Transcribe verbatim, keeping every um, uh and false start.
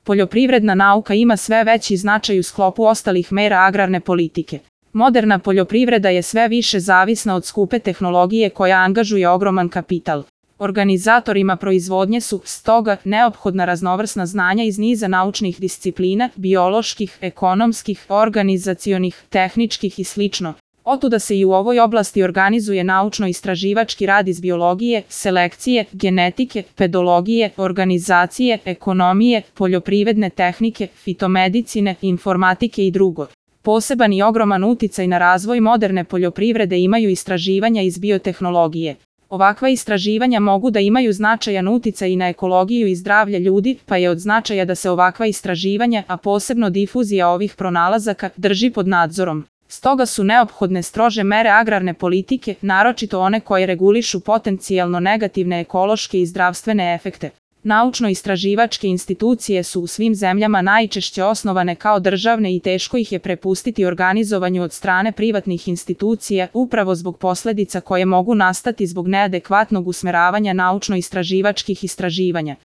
Poljoprivredna nauka ima sve veći značaj u sklopu ostalih mera agrarne politike. Moderna poljoprivreda je sve više zavisna od skupe tehnologije koja angažuje ogroman kapital. Organizatorima proizvodnje su, stoga, neophodna raznovrsna znanja iz niza naučnih disciplina, bioloških, ekonomskih, organizacionih, tehničkih i slično. Otuda se i u ovoj oblasti organizuje naučno-istraživački rad iz biologije, selekcije, genetike, pedologije, organizacije, ekonomije, poljoprivredne tehnike, fitomedicine, informatike i drugo. Poseban i ogroman uticaj na razvoj moderne poljoprivrede imaju istraživanja iz biotehnologije. Ovakva istraživanja mogu da imaju značajan uticaj i na ekologiju i zdravlje ljudi, pa je od značaja da se ovakva istraživanja, a posebno difuzija ovih pronalazaka, drži pod nadzorom. Stoga su neophodne strože mere agrarne politike, naročito one koje regulišu potencijalno negativne ekološke i zdravstvene efekte. Naučno-istraživačke institucije su u svim zemljama najčešće osnovane kao državne i teško ih je prepustiti organizovanju od strane privatnih institucija, upravo zbog posledica koje mogu nastati zbog neadekvatnog usmeravanja naučno-istraživačkih istraživanja.